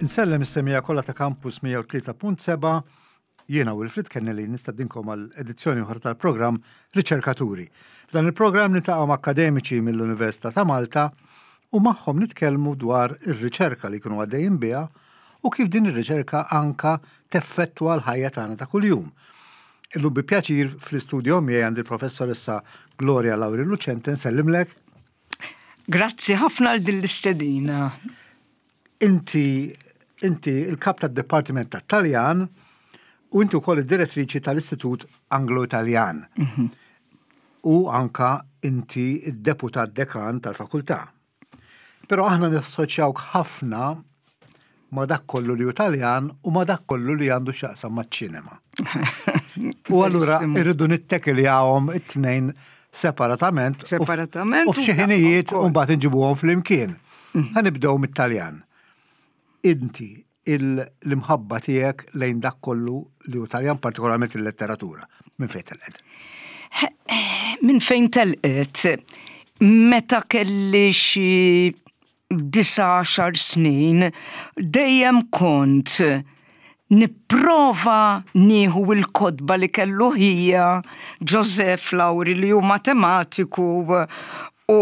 Insellem is-semija kollha ta' Campus 103.7 jiena Wilfrid Kennedy nistadinkom għal edizzjoni oħra tal-programm Riċerkaturi. F'dan il-programm niltaqgħu ma' akademiċi mill-Università ta' Malta u magħhom nitkellmu dwar ir-riċerka li jkunu għaddejjin biha u kif din ir-riċerka anka teffettwa l-ħajja tagħna ta' kuljum. Illum bi pjaċir fl-istudio miegħi għandi l-professoressa Gloria Lauri Lucente, nsellimlek. Grazzi ħafna għal din l-istedina. Inti inti il-kap tad-Dipartiment tat-Taljan u inti wkoll id-direttriċi tal-Istitut Anglo-Italjan. Mhm. U anka inti id-deputat dekan tal-fakultà. Però aħna nassoċjawk ħafna ma dak kollu li hu Taljan u ma dak kollu li għandu x'jaqsam maċ-ċinema. U allura irridu nittekiljahom it-tnejn separatament. Separatament. U f'xi ħinijiet u mbagħad inġibuhom flimkien. Mm. Ħa nibdew mit-Taljan. Inti l-imħabba tiegħek lejn dak kollu li hu Taljan, partikolarment il-letteratura. Minn fejn telqet? Minn fejn telqet? Meta kelli xi 19 snin, dejjem kont nipprova nieħu l-kotba li kellu ħija Joseph Lauri li hu matematiku u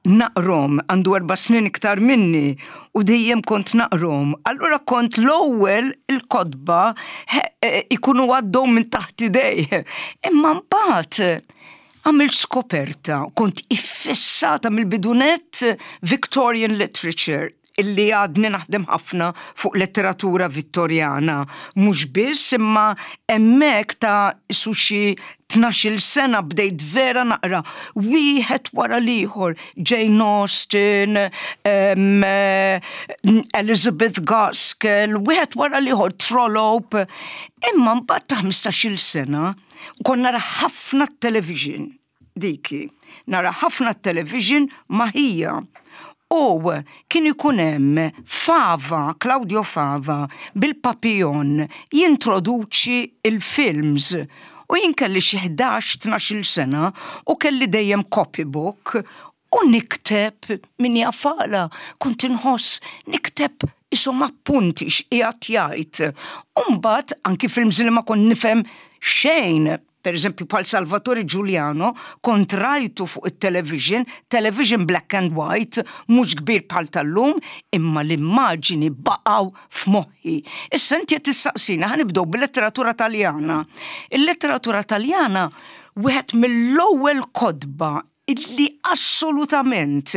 naqrom, għandu erba' snin iktar minni u dejjem kont naqrom. Allura kont l-ewwel il-kotba e, ikunu għaddew minn taħt idej. Imma mbagħad għamilt skoperta, kont iffissata mill-bidunet Victorian literature illi għadni naħdem ħafna fuq letteratura Vittorjana. Mhux biss imma hemmhekk ta' su xi 12-il sena bdejt vera naqra wieħed wara l-ieħor Jane Austen, um, Elizabeth Gaskell, wieħed wara l-ieħor Trollope. Imma mbagħad ta' 15-il sena kont nara ħafna television diki. Nara ħafna television ma' ħija. U kien ikun hemm Fava, Claudio Fava, bil-papillon jintroduċi il-films. U jien kelli xi 11-12 sena u kelli dejjem copybook u nikteb min jafala, kont inħoss nikteb isom appunti x'qiegħed jgħid. U mbagħad anki films li ma kont nifhem xejn Per eżempju, bħal Salvatore Giuliano, kont rajtu fuq it-television, television black and white, mhux kbir bħal tal-lum, imma l-immaġini baqgħu f'moħħi. Issa inti qed tistaqsina ħa nibdew bil-letteratura Taljana. Il-letteratura Taljana wieħed mill-ewwel kotba illi assolutament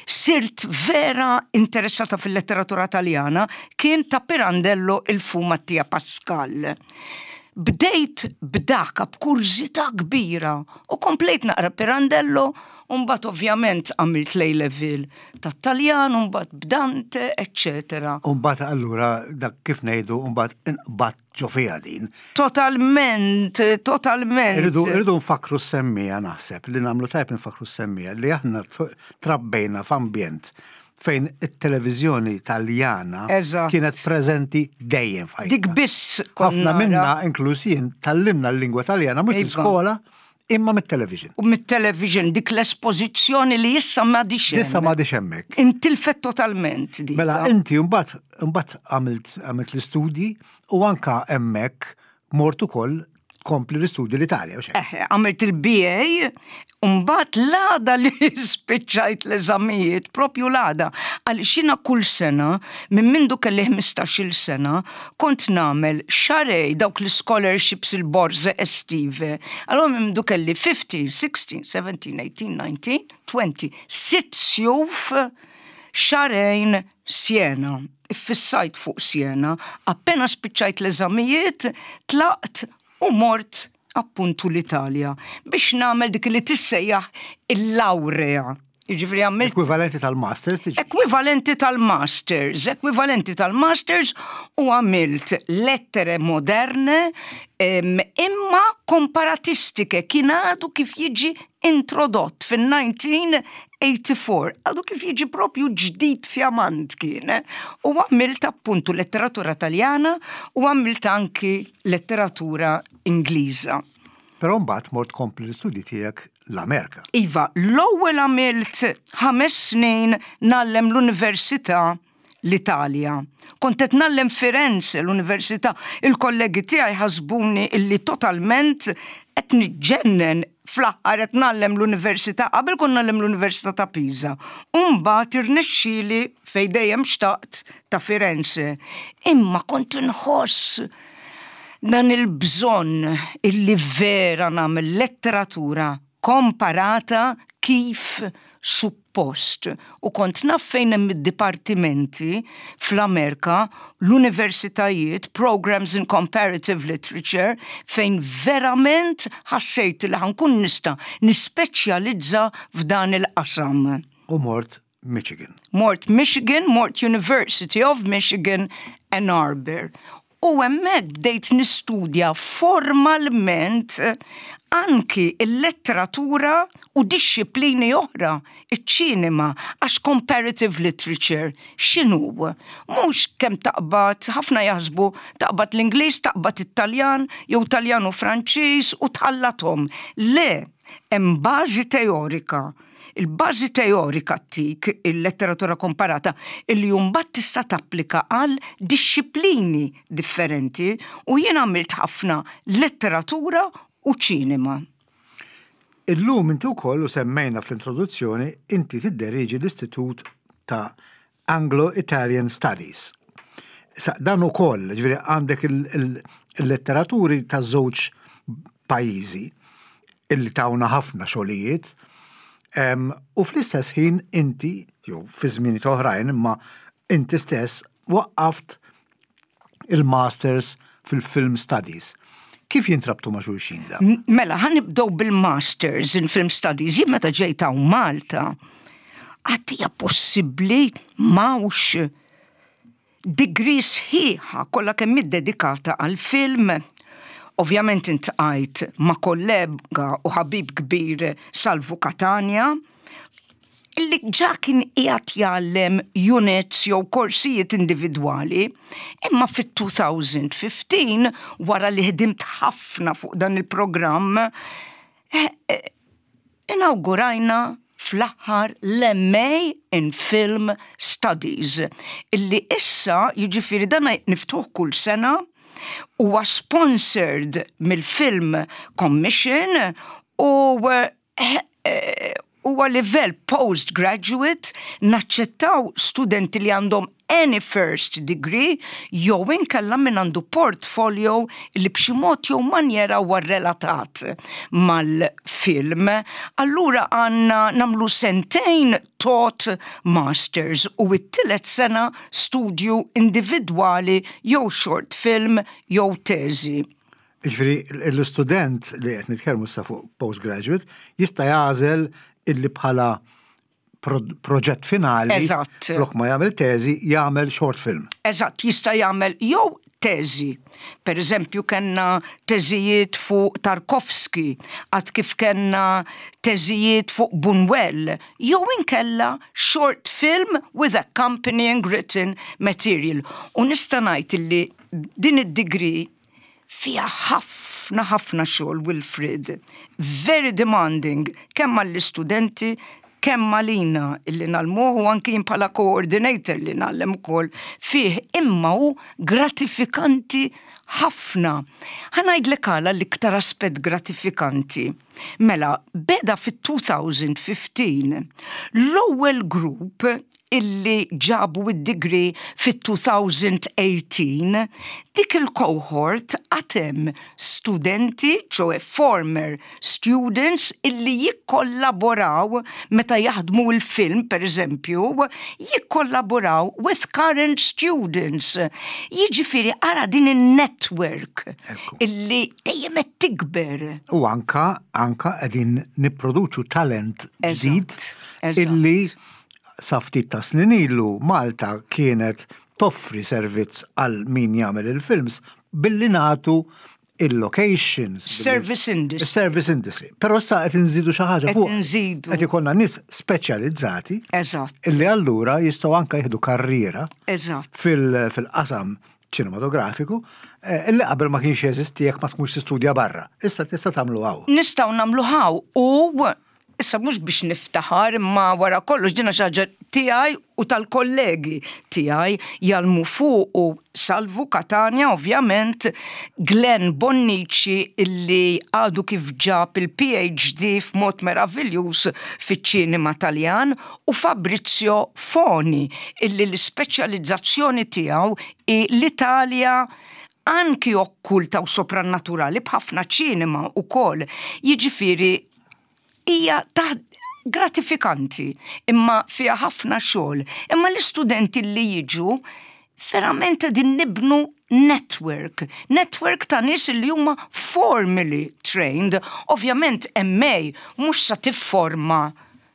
sirt vera interessata fil-letteratura Taljana kien ta' Pirandello il Fu Mattia Pascal. Bdejt b'daka b'kurżità kbira u komplejt naqra Pirandello u mbagħad ovvjament għamilt l level tat-Taljan u mbagħad b'Dante, eccetera. U mbagħad allura dak kif ngħidu mbagħad inqbadt ġo fiha din. Totalment, totalment. Irridu irridu nfakru s-semmija naħseb li nagħmlu tajb nfakru s-semmija li aħna trabbejna f'ambjent fejn it-televiżjoni Taljana kienet preżenti dejjem f'ħajjitna. Dik biss Ħafna minna inkluż jien tallimna l-lingwa Taljana mhux fl-iskola imma mit-television. U mit-television dik l-espożizzjoni li issa m'għadix hemm. Issa m'għadix hemmhekk. Intilfet totalment dik. Mela inti mbagħad mbagħad għamilt għamilt l-istudji u anka hemmhekk mort ukoll tkompli l-istudji l-Italja. u xejn. Eħe, għamilt il-BA, u mbagħad l-għada li spiċċajt l-eżamijiet, propju l-għada, għaliex jiena kull sena, minn mindu kelli 15-il sena, kont nagħmel xarej dawk l-scholarships il-borze estive. Allora minn mindu kelli 15, 16, 17, 18, 19, 20, sitt sjuf xarejn Siena. Iffissajt fuq Siena, appena spiċċajt l-eżamijiet, tlaqt u mort appuntu l-Italja biex nagħmel dik li tissejjaħ il-lawrea. Jiġifieri għamilt Ekwivalenti tal-masters tiġi. Ekwivalenti tal-masters, ekwivalenti tal-masters u għamilt lettere moderne imma komparatistiche kien għadu kif jiġi introdott fin-1984, għadu kif jiġi propju ġdid fjamant kien. U għamilt appuntu letteratura taljana u għamilt anki letteratura Ingliża. Però mbagħad mort tkompli l-istudji tiegħek l-Amerika. Iva, l-ewwel għamilt ħames snin ngħallem l-università l-Italja. Kont qed ngħallem Firenze, l-università. Il-kollegi tiegħi ħasbuni illi totalment qed niġġennen fl-aħħar qed ngħallem l-università. Qabel kont ngħallem l-Università ta' Pisa. U mbagħad irnexxieli fejn dejjem xtaqt ta' Firenze. Imma kont inħoss dan il-bżonn illi vera nagħmel letteratura komparata kif suppost. U kont naf fejn hemm id-dipartimenti fl-Amerika, l-universitajiet, programs in comparative literature, fejn verament ħassejt li ħa nkun nista' nispeċjalizza f'dan il-qasam. U mort Michigan. Mort Michigan, mort University of Michigan, Ann Arbor. U hemmhekk bdejt nistudja formalment anki il-letteratura u dixxiplini oħra, iċ-ċinema, għax comparative literature x'inhu? Mhux kemm taqbad, ħafna jaħsbu taqbad l-Ingliż, taqbad it-Taljan, jew Taljan u Franċiż u tħallathom. Le, hemm bażi teorika Il-bażi teorika ttik il-letteratura komparata illi mbagħad tista' tapplika għal dixxiplini differenti u jien għamilt ħafna letteratura u ċinema. Illum inti wkoll u semmejna fl-introduzzjoni inti tidderieġi l-Istitut ta' Anglo-Italian Studies. Sa dan ukoll, ġifieri għandek il-letteraturi ta' żewġ pajjiżi illi tawna ħafna xogħlijiet, u fl-istess ħin inti, jew fi żminijiet oħrajn, imma inti stess waqqaft il-Masters fil-Film Studies. Kif jintrabtu ma' xulxin da? Mela, ħa nibdew bil-Masters in Film Studies. Jien meta ġejt hawn Malta, għad hija possibbli m'hawnx degree sħiħa kollha kemm iddedikata għall-film. Ovvjament intqajt ma' kollega u ħabib kbir Salvu Catania, li ġa kien qiegħed jgħallem units jew korsijiet individwali, imma fit-2015 wara li ħdimt ħafna fuq dan il-programm, eh, eh, inawgurajna fl-aħħar l-MA in Film Studies, illi issa jiġifieri dan niftuħ kull sena huwa sponsored mill-Film Commission u eh, eh, huwa livell postgraduate naċċettaw studenti li għandhom any first degree jew inkella min għandu portfolio li b'xi mod jew manjera huwa relatat mal-film. Allura għandna nagħmlu sentejn taught masters u t-tielet sena studju individwali jew short film jew teżi. Jiġifieri l-istudent li qed nitkellmu issa fuq postgraduate jista' jagħżel illi bħala proġett finali Eżatt. flok ma jagħmel teżi jagħmel short film. Eżatt, jista' jagħmel jew teżi. Per eżempju kellna teżijiet fuq Tarkovsky, għad kif kellna teżijiet fuq Buñuel, jew inkella short film with accompanying written material. U nista' ngħid illi din id-degree fiha ħafna ħafna xogħol Wilfred. Very demanding kemm għall-istudenti kemm għalina illi ngħallmuh u anki jien bħala coordinator li ngħallem ukoll fih imma hu gratifikanti ħafna. Ħa ngħidlek għala l-iktar aspett gratifikanti. Mela, beda fit-2015 l-ewwel grupp illi ġabu id-degree fit-2018, dik il-cohort għad hemm studenti, ċoe former students illi jikkollaboraw meta jaħdmu il-film, per eżempju, jikkollaboraw with current students. Jiġifieri ara din in-network illi dejjem qed tikber. U anka anka qegħdin nipproduċu talent ġdid illi sa ftit ta' snin ilu Malta kienet toffri servizz għal min jagħmel il-films billi nagħtu il-locations. Service industry. Service industry. Però issa qed inżidu xi ħaġa fuq. Qed inżidu. Qed ikollna nies speċjalizzati. Eżatt. Illi allura jistgħu anke jieħdu karriera. Eżatt. Fil-qasam ċinematografiku, eh, illi qabel ma kienx jeżisti jekk ma tkunx tistudja barra. Issa tista' tagħmlu hawn. Nistgħu nagħmlu hawn u. Issa mhux biex niftaħar imma wara kollox dina xi ħaġa tiegħi u tal-kollegi tiegħi jgħallmu fuqu Salvu Catania ovvjament, Glenn Bonnici illi għadu kif ġab il-PhD f'mod meraviljuż fiċ-ċinema Taljan u Fabrizio Foni illi l-ispeċjalizzazzjoni tiegħu hi l-Italja anki okkulta u soprannaturali b'ħafna ċinema wkoll. Jiġifieri hija ta' gratifikanti imma fiha ħafna xogħol. Imma l-istudenti li jiġu verament qegħdin nibnu network, network ta' nies li huma formally trained. Ovvjament MA mhux sa tifforma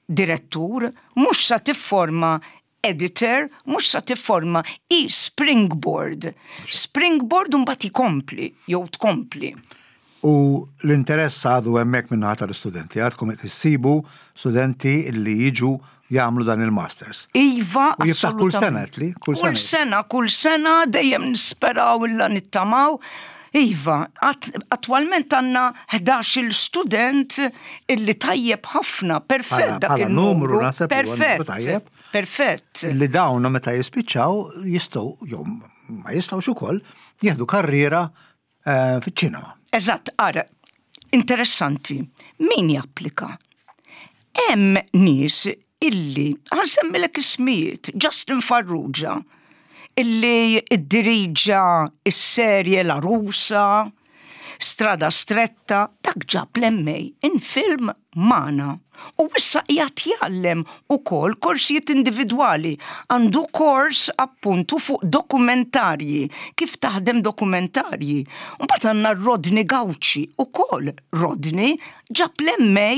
direttur, mhux sa tifforma editor, mhux sa tifforma i springboard. Springboard u mbagħad ikompli jew tkompli. U l-interess għadu hemmhekk min-naħa tal-istudenti, għadkom qed issibu studenti li jiġu jagħmlu dan il-masters. Iva, U jiftaħ kull sena li? Kull sena. Kull sena, kull sena dejjem nisperaw illa nittamaw. Iva, attwalment għandna 11 student illi tajjeb ħafna, perfett dak il-numru. Perfett. Perfett. Li dawn meta jispiċċaw jistgħu jew ma jistgħux ukoll jieħdu karriera eh, fiċ-ċinema. Eżatt, ara, interessanti, min japplika? Hemm nies illi, ħansemmilek ismijiet, Justin Farrugia, illi iddiriġa is-serje La Rusa, Strada Stretta, dak ġab l-MA in film magħna. U issa qiegħed jgħallem ukoll korsijiet individwali. Għandu kors appuntu fuq dokumentarji, kif taħdem dokumentarji. Mbagħad għandna Rodney Gauci ukoll. Rodney ġab l-MA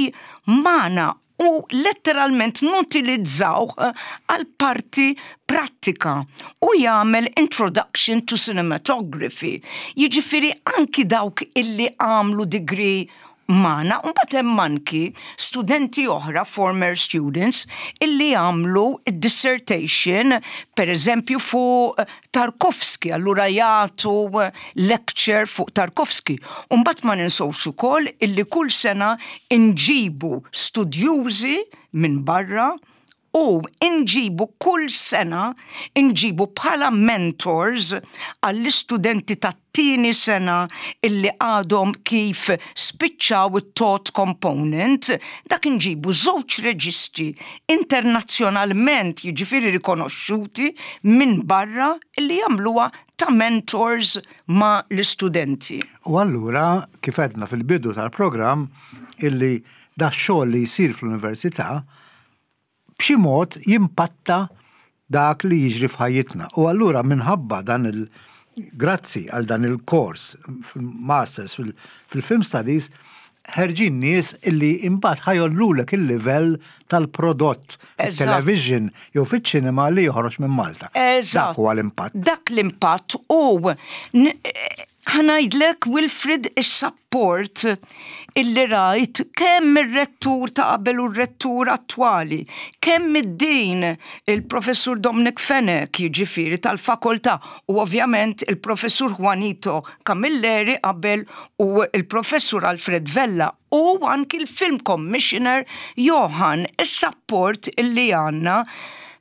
magħna u letteralment nutilizzawh għal parti prattika u jagħmel introduction to cinematography. Jiġifieri anki dawk illi għamlu degree magħna, u mbagħad hemm anki studenti oħra, former students, illi għamlu dissertation, per eżempju fuq Tarkovsky, allura jagħtu lecture fuq Tarkovsky. U mbagħad ma ninsewx ukoll illi kull sena nġibu studjużi minn barra u nġibu kull sena nġibu bħala mentors għall-istudenti tat-tieni sena illi għadhom kif spiċċaw it-taught component, dak inġibu żewġ reġisti internazzjonalment jiġifieri rikonoxxuti minn barra illi jagħmluha ta' mentors ma' l-istudenti. U allura, kif għedna fil-bidu tal-programm, illi dax-xogħol li jsir fl-università b'xi mod jimpatta dak li jiġri f'ħajjitna. U allura minħabba dan il- grazzi għal dan il-kors fil-masters fil-film studies, ħerġin nies illi imbagħad ħa jgħollulek il-livell tal-prodott television jew fiċ-ċinema li joħroġ minn Malta. Eżatt. Dak huwa l-impatt. Dak l-impatt u ħa ngħidlek Wilfrid is-sapport illi rajt kemm ir-rettur ta' qabel u r-rettur attwali, kemm id-din il-professur Dominic Fenech jiġifieri tal-fakoltà u ovvjament il-professur Juanito Camilleri qabel u il-professur Alfred Vella u anki l-film commissioner Johan, is-sapport illi għandna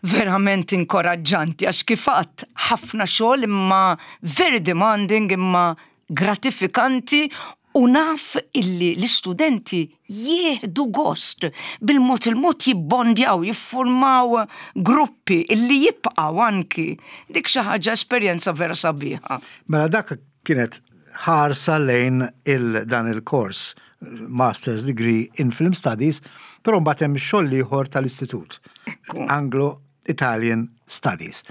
verament inkoraġġanti għax kif għadt ħafna xogħol imma very demanding imma gratifikanti u naf illi l-istudenti jieħdu gost bil-mod il-mod jibbondjaw, jiffurmaw gruppi illi jibqgħu anki. Dik xi ħaġa esperjenza vera sabiħa. Mela dak kienet ħarsa lejn il dan il-kors Master's Degree in Film Studies, però mbagħad hemm xogħol ieħor tal-istitut. Anglo Italian Studies.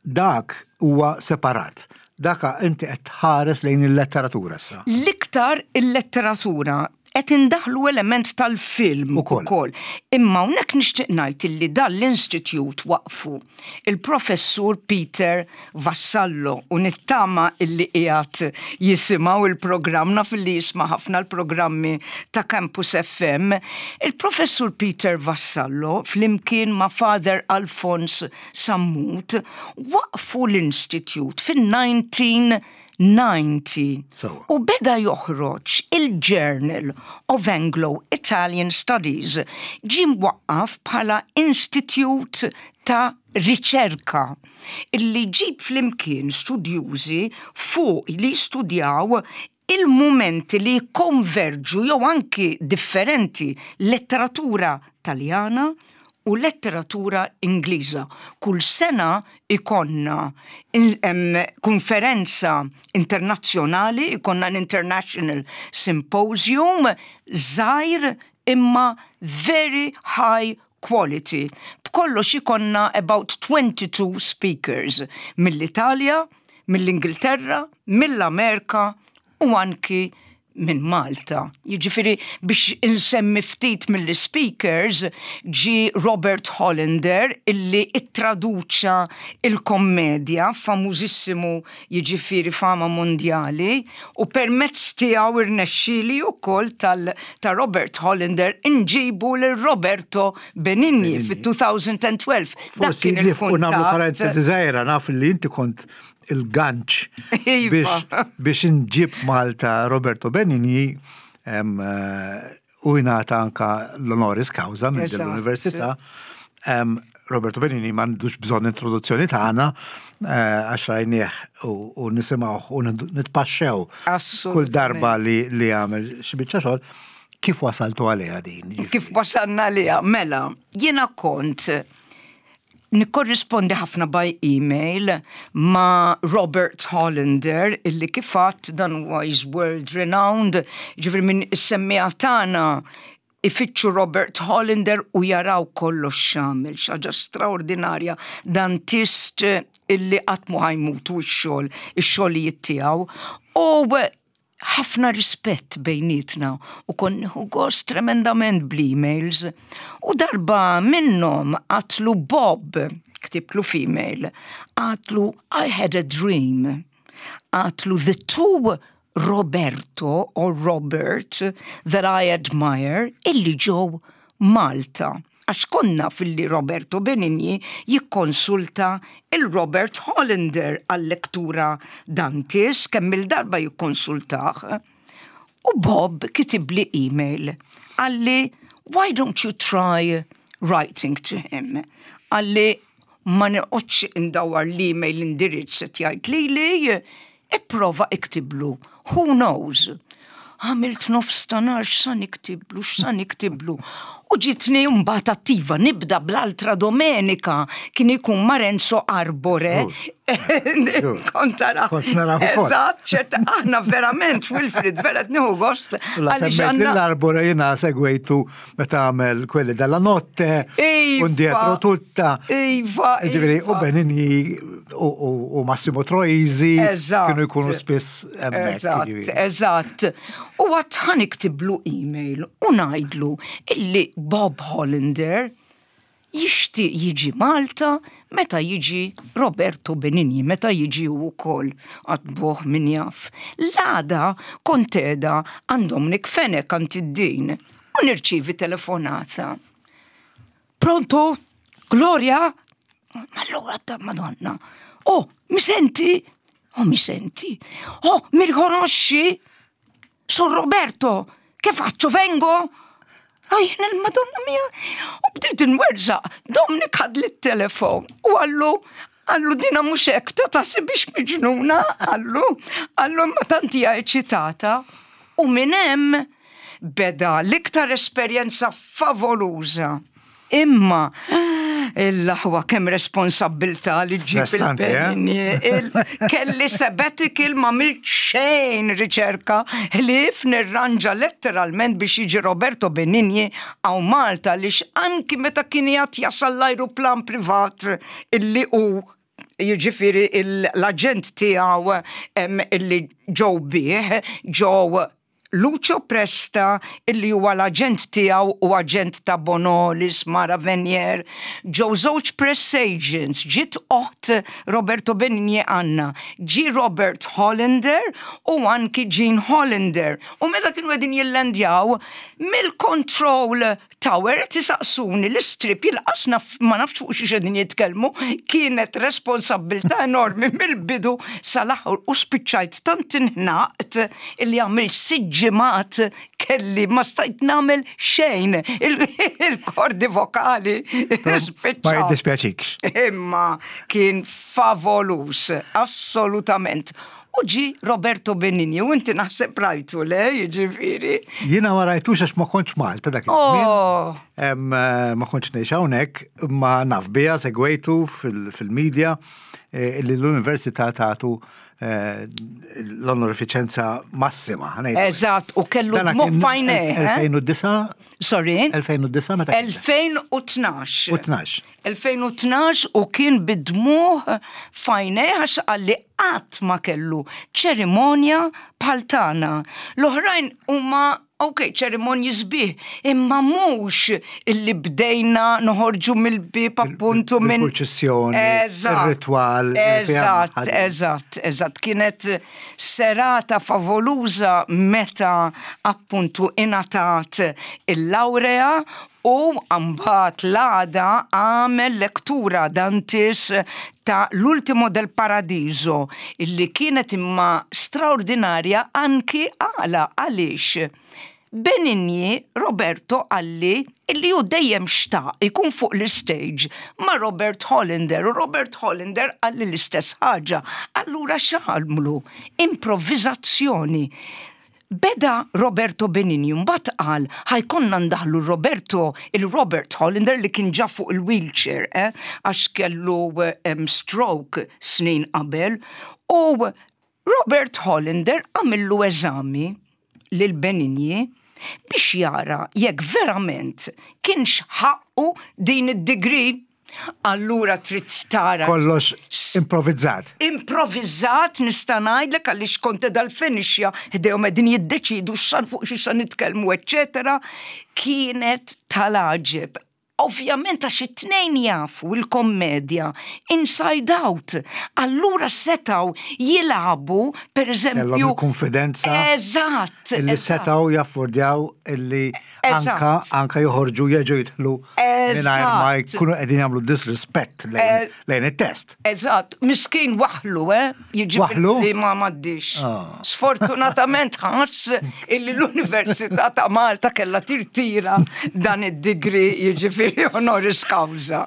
Dak huwa separat. Daka inti qed tħares lejn il-letteratura issa. L-iktar il-letteratura qed indaħlu element tal-film ukoll. Imma hawnhekk nixtieq ngħid illi dan l-institute waqfu il-professur Peter Vassallo u nittama illi qiegħed jisimgħu il-programm naf illi jisma' ħafna l-programmi ta' Campus FM. Il-professur Peter Vassallo flimkien ma' Father Alphonse Sammut waqfu l-institute fin-19. 1890. U beda joħroġ il-Journal of Anglo-Italian Studies, ġie mwaqqaf bħala institute ta' riċerka illi jġib flimkien studjużi fuq li jistudjaw il-mumenti li jikkonverġu jew anki differenti letteratura Taljana u letteratura Ingliża. Kull sena jkollna konferenza internazzjonali, jkollna l-International Symposium żgħir imma very high quality. B'kollox ikollna about 22 speakers mill-Italja, mill-Ingilterra, mill-Amerika u anki minn Malta. Jiġifieri biex insemmi ftit mill-speakers ġie Robert Hollander illi ittraduċa il-kommedja famużissimu jiġifieri fama mondjali u permezz tiegħu irnexxieli wkoll tal ta' Robert Hollander inġibu lil Roberto Benigni fit-2012. Dak kien il-kuntatt. U nagħmlu parentesi żgħira naf li inti kont il-ganċ iva. biex inġib Malta Roberto Benigni eh, u jingħata anka l-honoris causa minn din l-università. Roberto Benigni m'għandux bżonn introduzzjoni tagħna eh, għax rajnieh u nisimgħuh u nitpaxxew kull darba li li għamel xi biċċa xogħol. Kif wasaltu għaliha din? Kif wasalna għaliha? Mela, jiena kont nikkorrispondi ħafna by email ma' Robert Hollander illi kif għadt dan huwa is world renowned, ġifieri minn is-semmiegħa tagħna ifittxu Robert Hollander u jaraw kollox x'għamel, xi ħaġa straordinarja dan tist illi qatt mhu ħa jmut u x-xogħol, ix-xogħlijiet tiegħu. U ħafna rispett bejnietna u kont nieħu gost tremendament bl-emails. U darba minnhom għatlu Bob, ktibtlu f'email, għatlu I had a dream. Għatlu the two Roberto or Robert that I admire illi ġew Malta. Għax konna filli Roberto Benigni jikkonsulta il-Robert Hollander għal-lektura Dantis kemm-il darba jikkonsultah. U Bob kitibli email qalli why don't you try writing to him? Qalli ma noqgħodx indawwar l-email indirizz qed jgħid lili, ipprova iktiblu, who knows. Għamilt nofs ta' nar x'sa niktiblu, x'sa niktiblu. U ġitni mbagħad attiva nibda bl-altra domenika kien ikun ma' Renzo Arbore. Kont tara. Kont nara Eżatt, ċert aħna verament Wilfrid vera nieħu gost. La semmejt l-Arbore jiena segwejtu Meta għamel quelli della notte, iva, un dietro tutta. Iva. Ġifieri, u iva. Benigni u Massimo Troisi kienu jkunu spiss hemmhekk. Eżatt, eżatt. U għat ħa niktiblu email u ngħidlu illi Bob Hollander jixtieq jiġi Malta meta jiġi Roberto Benigni, meta jiġi hu wkoll, għad buh min jaf. L-għada kont qiegħda għand Dominic Fenech għand id-din u nirċievi telefonata. Pronto? Gloria? Allura ta' Madonna. Oh, mi senti? Oh, mi senti? Oh, mi riconosci? Son Roberto, che faccio, vengo? Għajn il-Madonna mia! U bdejt nwerżaq, Dominic ħadli t-telefon u għallu, għallu dina mhux hekk ta' taħsibix miġnuna, għallu, għallu imma tant hija eċitata. U minn hemm beda l-iktar esperjenza favoluża. Imma l-aħwa kemm responsabbiltà li ġġib il-Benigni. Eh? Kelli sabbatical ma għamilt xejn riċerka ħlief nirranġa letteralment biex jiġi Roberto Benigni hawn Malta għaliex anki meta kien qiegħed jasal l-ajruplan privat illi hu jiġifieri l-aġent tiegħu illi ġew bih ġew Lucio Presta illi huwa l-aġent tiegħu u aġent ta' Bonolis, Mara Venier, ġew żewġ press agents, ġiet oħt Roberto Benigni Anna, ġie Robert Hollander u anki Jean Hollander. U meta kienu qegħdin jillendjaw mill-control Tower qed isaqsuni l-istrip jilqas naf ma nafx fuq xiex qegħdin jitkellmu, kienet responsabbiltà enormi mill-bidu sal-aħħar u spiċċajt tant inħnaqt illi għamilt sitt ġimgħat kelli ma stajt nagħmel xejn il-kordi vokali spiċċaw. Ma jiddispjaċikx. Imma kien favolus, assolutament. U ġi Roberto Benigni, u inti naħseb rajtu, le, jiġifieri. Jiena ma rajtux għax ma kontx Malta dak iż-żmien. Oh. Eh, ma kontx ngħix hawnhekk, ma naf biha segwejtu fil-medja eh, li l-Università tagħtu eh, l-onorifiċenza massima. Eżatt, u kellu dmugħ f'għajnejh. 2009? Sorry? 2009 meta? 2012. 12. 2012 u kien bid-dmugħ f'għajnejh għax qalli qatt ma kellu ċerimonja bħal tagħna. L-oħrajn huma ok, ċerimonji sbieħ, imma mhux illi bdejna noħorġu mill-bieb appuntu minn. Il-purċissjoni, ir-ritwal. Eżatt, eżatt, eżatt. Kienet serata favoluża meta appuntu ingħatat il-lawrea U mbagħad l-għada għamel lektura Dantis ta' L'ultimo del Paradiso, illi kienet imma straordinarja anki għala għaliex Benigni Roberto qalli illi hu dejjem xtaq ikun fuq l-istage ma' Robert Hollander u Robert Hollander qalli l-istess ħaġa. Allura x'għamlu? Improvviżazzjoni. Beda Roberto Benigni mbagħad qal ħa jkollna ndaħħlu Roberto, il-Robert Hollander li kien ġa fuq il-wheelchair eh, għax kellu stroke snin qabel u Robert Hollander għamillu eżami lil Benigni biex jara jekk verament kienx ħaqqu din id-degree. Allura trid tara. Kollox improvvizzat. Improvvizzat nista' ngħidlek għaliex kont qiegħda l-finixja ħdejhom qegħdin jiddeċiedu x'san fuq xi sa nitkellmu eċċetera. Kienet tal-għaġeb. Ovvjament għax it-tnejn jafu l-kommedja inside out. Allura setgħu jilagħbu pereżempju. Kellhom il-konfidenza. Eżatt. Illi setgħu jaffordjaw illi Anka, anka joħorġu jeġu jidħlu mingħajr ma jkunu qegħdin jagħmlu disrispett lejn eh, it-test. Eżatt, miskin waħlu, eh? Jiġifieri li ma m'għaddix. Ah. Sfortunatament ħass illi l-Università ta' Malta kellha tirtira dan id-digri jiġifieri honoris causa.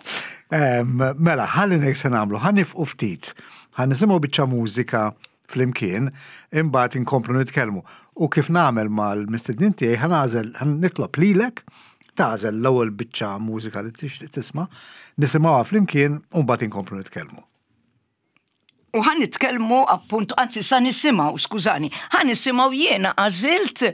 Mela, ħalli nek se nagħmlu, ħanifqu ftit, ħanisimgħu biċċa mużika flimkien, imbagħad inkomplu nitkellmu. U kif nagħmel mal-mistednin tiegħi ħa nagħżel, ħa nitlob lilek tagħżel l-ewwel biċċa mużika li tixtieq tisma', nisimgħuha flimkien u mbagħad inkomplu nitkellmu. U ħa nitkellmu appuntu, anzi sa nisimgħu, skużani, ħa nisimgħu jiena għażilt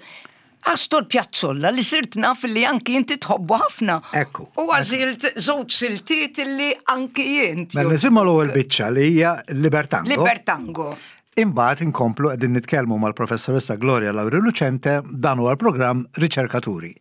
Astor Piazzolla li sirt naf li anki inti tħobbu ħafna. Ekku. U għażilt żewġ siltiet li anki int. Mela nisimgħu l-ewwel biċċa li hija Libertango. Libertango. Imbagħad inkomplu qegħdin nitkellmu mal-professoressa Gloria Lauri Lucente dan huwa l-programm Riċerkaturi.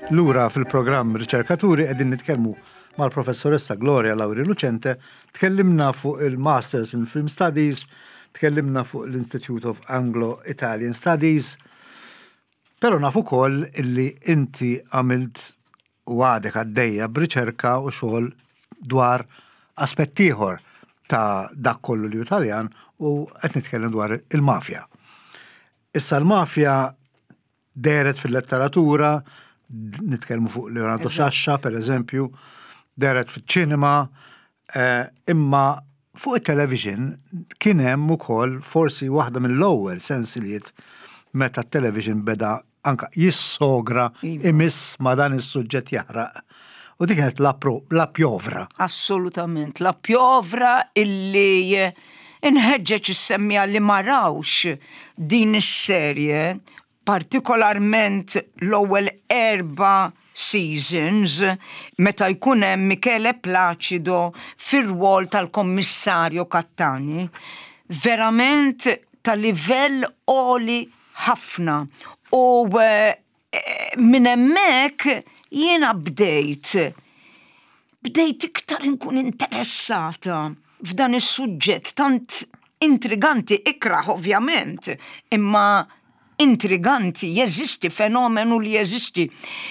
Lura fil-programm Riċerkaturi qegħdin nitkellmu mal-professoressa Gloria Lauri Lucente, tkellimna fuq il-Masters in Film Studies, tkellimna fuq l-Institute of Anglo-Italian Studies, pero naf ukoll illi inti għamilt u għadek għaddejja b'riċerka u xogħol dwar aspett ieħor ta' dak kollu li hu Taljan u qed nitkellem dwar il-mafja. Issa l-mafja dehret fil-letteratura, nitkellmu fuq Leonardo Sciascia per eżempju, dehret fiċ-ċinema, eh, imma fuq it-television kien hemm ukoll forsi waħda mill-ewwel sensiliet meta t-television beda anka jissogra iva. imiss ma dan is-suġġett jaħraq. U dik kienet la pjovra. Assolutament, la pjovra illi inħeġġeġ is-semmija li ma rawx din is-serje, partikolarment l-ewwel erba' seasons meta jkun hemm Michele Placido fir-rwol tal-Kommissarju Cattani, verament ta' livell għoli ħafna u eh, minn hemmhekk jiena bdejt bdejt iktar inkun interessata f'dan is-suġġett tant intriganti ikrah ovvjament, imma intriganti, jeżisti fenomenu li jeżisti.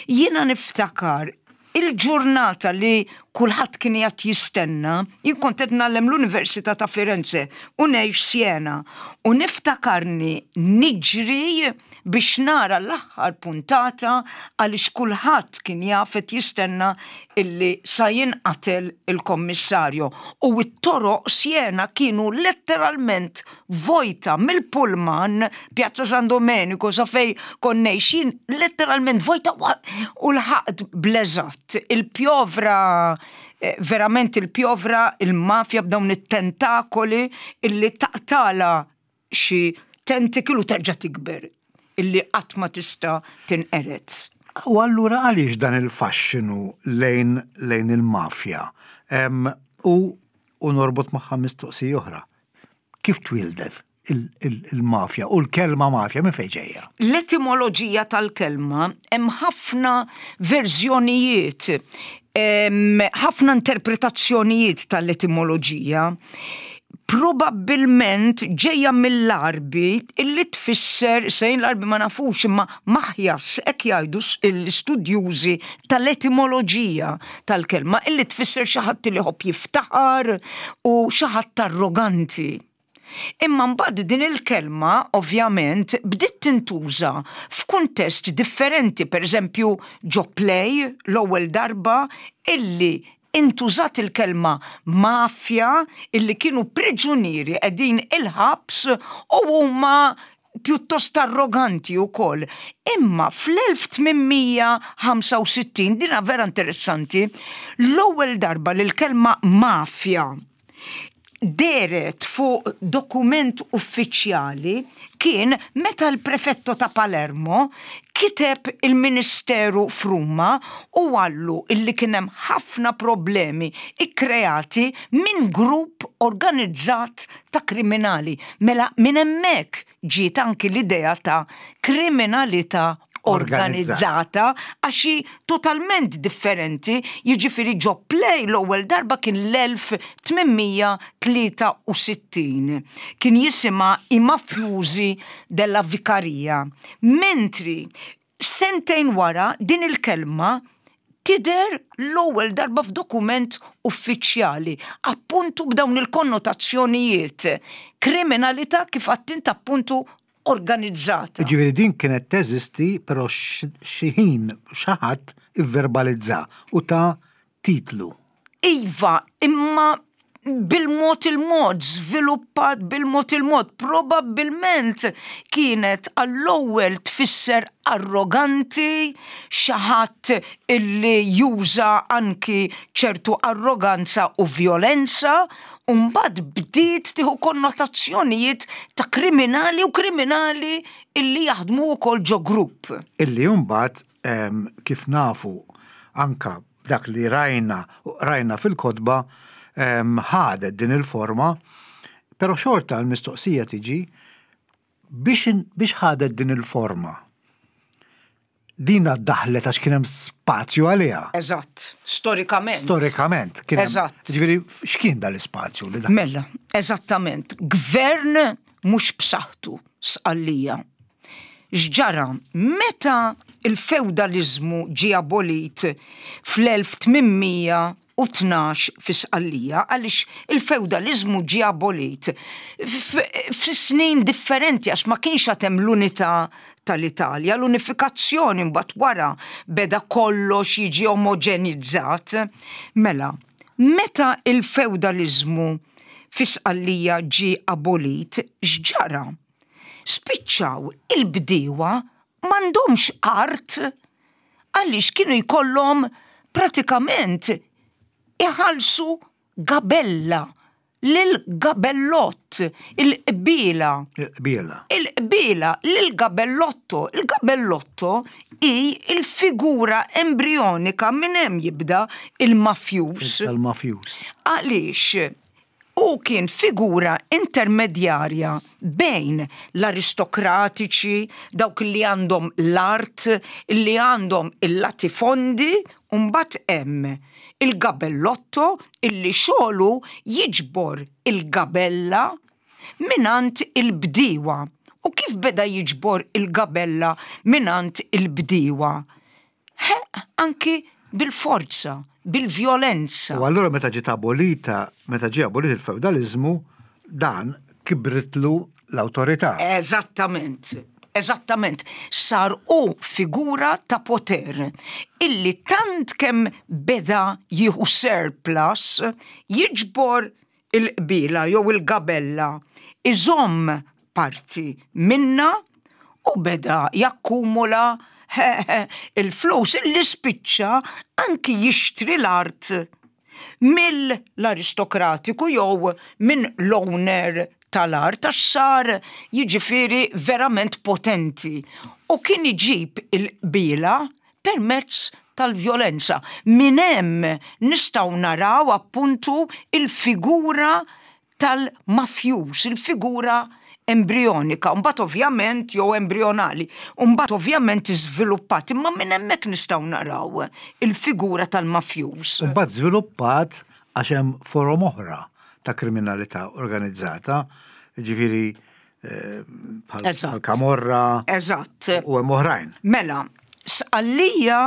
Jiena niftakar il-ġurnata li kulħadd kien qiegħed jistenna, jien kont qed ngħallem l-Università ta' Firenze u ngħix Siena u niftakarni niġri biex nara l-aħħar puntata għaliex kulħadd kien jaf qed jistenna illi sa jinqatel il-kommissarju u t-toroq Siena kienu letteralment vojta mill-pullman Piazza San Domenico sa fej kont ngħix jien letteralment vojta u lħaqt bl-eżatt il-pjovra eh, verament il-pjovra il-mafja b'dawn it-tentakoli illi taqtala xi tentacle u terġa' tikber illi qatt ma tista' tinqered. U allura għaliex dan il-faxxinu lejn lejn il-mafja? U u norbot magħha mistoqsija oħra. Kif twieldet il-mafja u l-kelma mafja minn fejn ġejja? L-etimoloġija tal-kelma hemm ħafna verżjonijiet, ħafna interpretazzjonijiet tal-etimoloġija. Probabbilment ġejja mill-Għarbi illi tfisser, sejn l-Għarbi ma nafux imma maħjas hekk jgħidu l-istudjużi tal-etimoloġija tal-kelma illi tfisser xi ħadd li jħobb jiftaħar u xi ħadd arroganti. Imma mbagħad din il-kelma ovvjament bdiet tintuża f'kuntest differenti, pereżempju ġo play l-ewwel darba illi intużat il-kelma mafja illi kienu priġunieri qegħdin il-ħabs u huma pjuttost arroganti wkoll. Imma fl-1865, dina vera interessanti, l-ewwel darba li l-kelma mafja dehret fuq dokument uffiċjali kien meta l-prefetto ta' Palermo kiteb il-Ministeru f'Ruma u qallu illi kien hemm ħafna problemi kkreati minn grupp organizzat ta' kriminali. Mela minn hemmhekk ġiet anki l-idea ta' kriminalità organizzata għax hi totalment differenti, jiġifieri ġo play l-ewwel darba kien l-1863. Kien jisimha I Mafjużi della Vicaria. Mentri Sentejn wara din il-kelma tidher l-ewwel darba f'dokument uffiċjali, appuntu b'dawn il-konnotazzjonijiet, kriminalità kif għedt int appuntu organizzata. Jiġifieri din kienet teżisti però xi ħin xi ħadd ivverbalizza u ta titlu. Iva, imma bil-mod il-mod, żviluppat bil-mod il-mod, probabbilment kienet għall-ewwel tfisser arroganti, xi ħadd illi juża anki ċertu arroganza u vjolenza, u mbagħad bdiet tieħu konnotazzjonijiet ta' kriminali u kriminali illi jaħdmu wkoll ġo grupp. Illi mbagħad kif nafu anka dak li rajna u qrajna fil-kotba ħadet din il-forma, però xorta l-mistoqsija tiġi biex ħadet din il-forma. Dina daħlet għax kien hemm spazju għaliha. Eżatt, storikament. Storikament. Eżatt. Ġifieri x'kien dal-ispazju li daħlet? Mela, eżattament. Gvern mhux b'saħħtu Sqallija. X'ġara? Meta il-fewdaliżmu ġie abolit fl-1812 fi Sqallija, għaliex il-fewdaliżmu ġie abolit fi snin differenti għax ma kienx għad hemm l-unità tal-Italja, l-unifikazzjoni mbagħad wara beda kollox jiġi omoġenizzat. Mela, meta il-fewdaliżmu fi Sqallija ġie abolit, x'ġara? Spiċċaw il-bdiewa m'għandhomx art għaliex kienu jkollhom pratikament iħallsu gabella lil gabellott, il-qbiela. Il-qbiela. Il-qbiela lil gabellotto. Il-gabellotto hi il-figura embrionika minn hemm jibda il-mafjus. Il-mafjus. Għaliex hu kien figura intermedjarja bejn l-aristokratiċi, dawk li għandhom l-art, li għandhom il-latifondi, u mbagħad hemm il-gabellotto illi xogħlu jiġbor il-gabella mingħand il-bdiewa. U kif beda jiġbor il-gabella mingħand il-bdiewa? Ħeqq anki bil-forza, bil-vjolenza. U allura meta ġiet abolita, meta ġie abolit il-fewdaliżmu, dan kibritlu l-awtorità. Eżattament. Eżattament. Sar hu figura ta' poter illi tant kemm beda jieħu surplus, jiġbor il-qbiela jew il-gabella, iżomm parti minnha u beda jakkumula il-flus illi spiċċa anki jixtri l-art mill-aristokratiku jew minn l-owner tal-art għax sar jiġifieri verament potenti u kien iġib il-qbiela permezz tal-vjolenza. Minn hemm nistgħu naraw appuntu il-figura tal-mafjuż, il-figura embrionika, mbagħad ovvjament jew embrionali, u mbagħad ovvjament iżviluppat, imma minn hemmhekk nistgħu naraw il-figura tal-mafjuż. U mbagħad żviluppat għax hemm forom oħra ta' kriminalità organizzata, jiġifieri bħal kamorra. Eżatt. U hemm oħrajn. Mela, Sqallija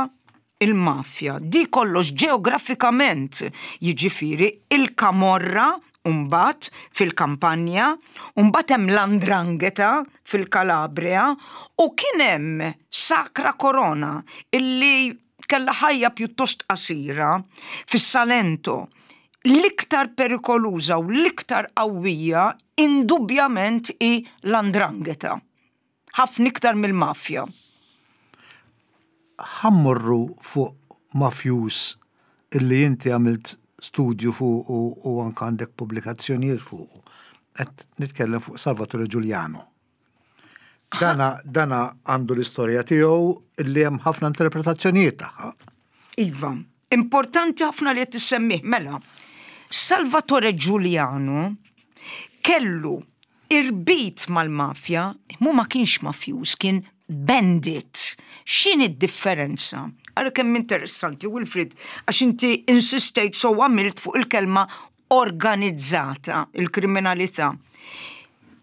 il-mafja, di kollox ġeografikament, jiġifieri il-kamorra mbagħad fil-Kampanja, u mbagħad hemm l-Andrangheta fil-Kalabria, u kien hemm Sacra Corona illi kellha ħajja pjuttost qasira fis-Salento. L-iktar perikoluża u l-iktar qawwija indubbjament hi l-Andrangheta. Ħafna iktar mill-mafja. Ħa mmorru fuq mafjuż illi inti għamilt studju fuqu u anke għandek pubblikazzjonijiet fuqu. Qed nitkellem fuq Salvatore Giuliano. Dana, dana għandu l-istorja tiegħu illi hemm ħafna interpretazzjonijiet tagħha. Iva, importanti ħafna li qed issemmih mela. Salvatore Giuliano kellu irbit mal-mafja, mu ma kienx mafjuż, kien bandit. X'inhi d-differenza? Ara kemm interessanti, Wilfrid, għax inti insistejt so għamilt fuq il-kelma organizzata, il-kriminalità.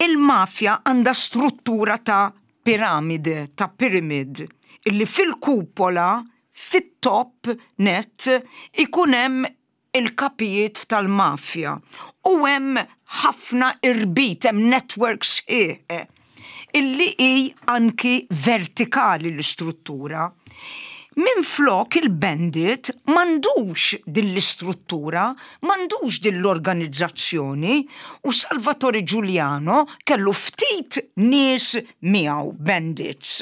Il-mafja għandha struttura ta' piramide, ta' pyramid, illi fil-kupola, fit-top net, ikun hemm il-kapijiet tal-mafja u hemm ħafna irbit, hemm network sħiħ illi hi anki vertikali l-istruttura. Minflok il-bandit m'għandux din l-istruttura, m'għandux din l-organizzazzjoni u Salvatore Giuliano kellu ftit nies miegħu bandits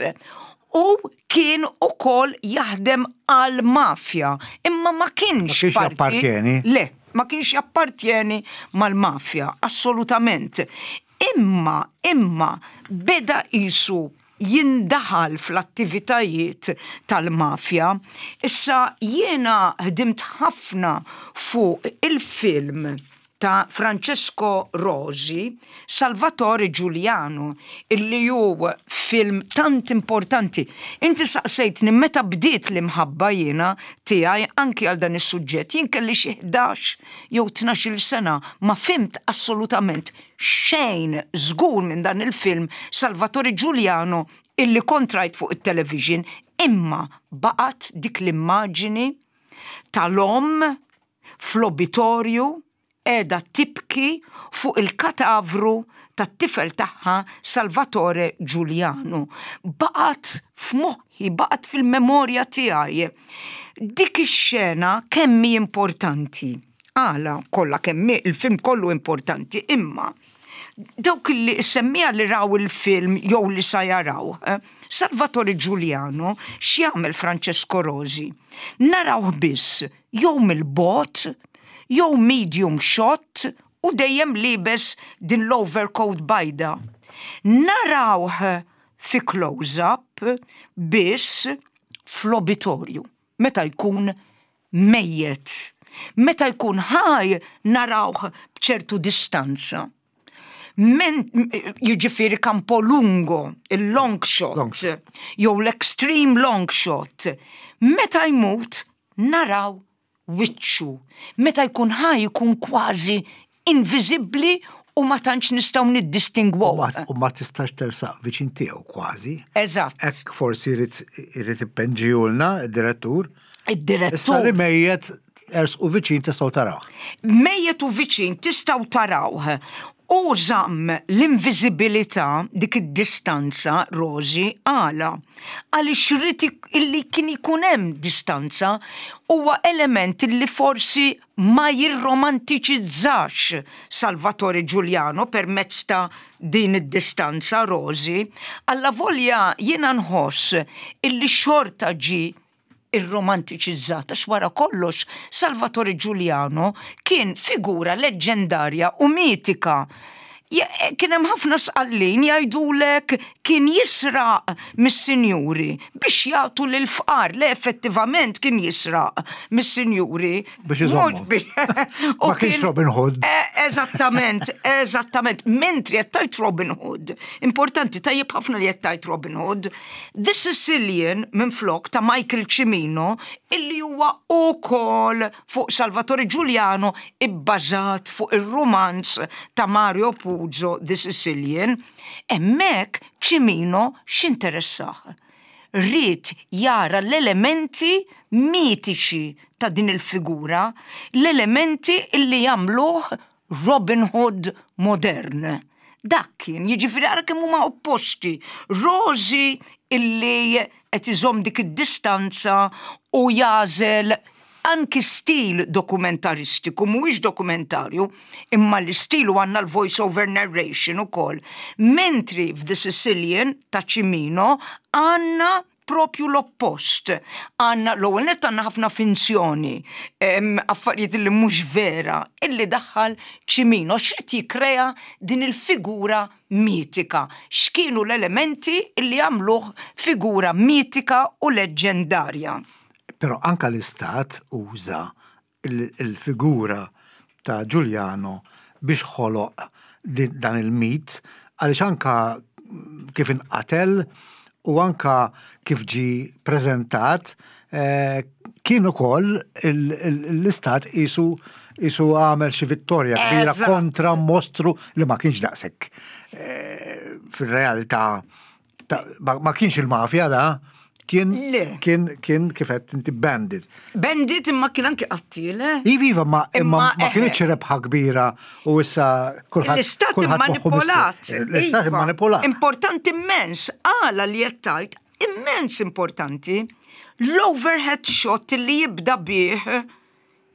u kien ukoll jaħdem għall-mafja, imma ma kienx parti. Le, ma kienx jappartjeni mal-mafja, assolutament. Imma, imma, beda qisu jindaħal fl-attivitajiet tal-mafja. Issa jiena ħdimt ħafna fuq il-film. ta' Francesco Rosi, Salvatore Giuliano, illi hu film tant importanti. Inti saqsejtni meta bdiet l-imħabba jiena tiegħi anki għal dan is-suġġett. Jien kelli xi 11 jew 12-il sena ma fhimt assolutament xejn żgur minn dan il-film Salvatore Giuliano illi kont rajt fuq it-television imma baqgħet dik l-immaġini tal-omm fl-obitorju qiegħda tibki fuq il-katavru tat-tifel tagħha Salvatore Giuliano. Baqgħet f'moħħi, baqgħet fil-memorja tiegħi. Dik ix-xena kemm hi importanti. Għala kollha kemm il-film kollu importanti, imma dawk li semmija li raw il-film jew li sa jaraw, eh, Salvatore Giuliano x'jagħmel Francesco Rosi? Narawh biss jew mill-bogħod, jew medium shot u dejjem liebes din l-overcoat bajda. Narawh fi close-up biss fl-obitorju, meta jkun mejjet. Meta jkun ħaj narawh b'ċertu distanza. Men, jiġifieri campo lungo, il-long shot, jew l-extreme long shot. Meta jmut naraw wiċċu. Meta jkun ħaj jkun kważi inviżibbli u ma tantx nistgħu niddistingwuh. U ma tistax tersaq viċin tiegħu kważi. Eżatt. Hekk forsi jrid ippenġihulna d-direttur. Id-direttur. Issa li mejjet ersqu viċin tistgħu tarawh. Mejjet u viċin tistgħu tarawh. U żamm l-inviżibilità dik id-distanza, Rosi, għala? Għaliex ried illi kien ikun hemm distanza, huwa element illi forsi ma jirromantiċizzax Salvatore Giuliano permezz ta' din id-distanza, Rosi. Allavolja jiena nħoss illi xorta ġie irromantiċizzat għax wara kollox Salvatore Giuliano kien figura leġġendarja u mitika. Kien hemm ħafna Sqallin jgħidulek kien jisraq mis-sinjuri biex jagħtu lill-fqar. Le effettivament kien jisraq mis-sinjuri. Biex iżommu. Ma kienx Robin Hood. Eżattament, eżattament. Mentri qed tgħid Robin Hood. Importanti, tajjeb ħafna li qed tgħid Robin Hood. The Sicilian minflok ta' Michael Cimino illi huwa ukoll fuq Salvatore Giuliano ibbażat fuq ir-rumanz ta' Mario Puzo The Sicilian, hemmhekk Cimino x'interessah? Ried jara l-elementi mitiċi ta' din il-figura, l-elementi illi jagħmluh Robin Hood modern. Dak kien, jiġifieri ara kemm huma opposti. Rosi illi qed iżomm dik id-distanza u jagħżel anki stil dokumentaristiku, mhuwiex dokumentarju, imma l-istil u għandna l-voice over narration ukoll. Mentri f'The Sicilian ta' Cimino għandna propju l-oppost. Għandna l-ewwel nett għandna ħafna finzjoni, affarijiet li mhux vera, illi daħħal Cimino x'rid jikkrea din il-figura mitika. X'kienu l-elementi illi għamluh figura mitika u leġġendarja. Però anka l-istat uża il-figura ta' Giuliano biex ħoloq dan il-mit għaliex anka kif inqatel u anka kif ġie preżentat kien ukoll l-istat qisu qisu għamel xi vittorja kbira kontra mostru li ma kienx daqshekk fir-realtà ma kienx il-mafja da, kien kien kien kif qed inti bandit. Bandit imma kien anki qattil, eh? Iva, iva, ma imma ma kienx rebħa kbira u issa kulħadd. L-istat immanipolat. L-istat iva. immanipolat. Importanti immens, għala li qed tgħid, immens importanti. L-overhead shot li jibda bih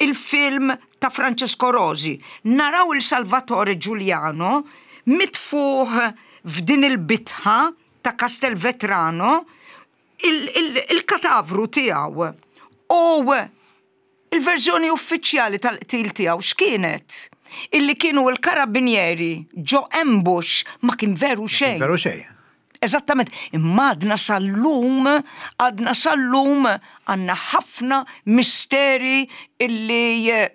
il-film ta' Francesco Rosi, naraw il Salvatore Giuliano mitfugħ f'din il-bitħa ta' Castelvetrano il-katavru tiegħu. U il-verżjoni uffiċjali tal-qtil tiegħu x'kienet? Illi kienu l-karabinieri ġo ambush ma kien veru xejn. Veru xejn. Eżattament, imma għadna sal-lum, għadna sal-lum għandna ħafna misteri illi eh,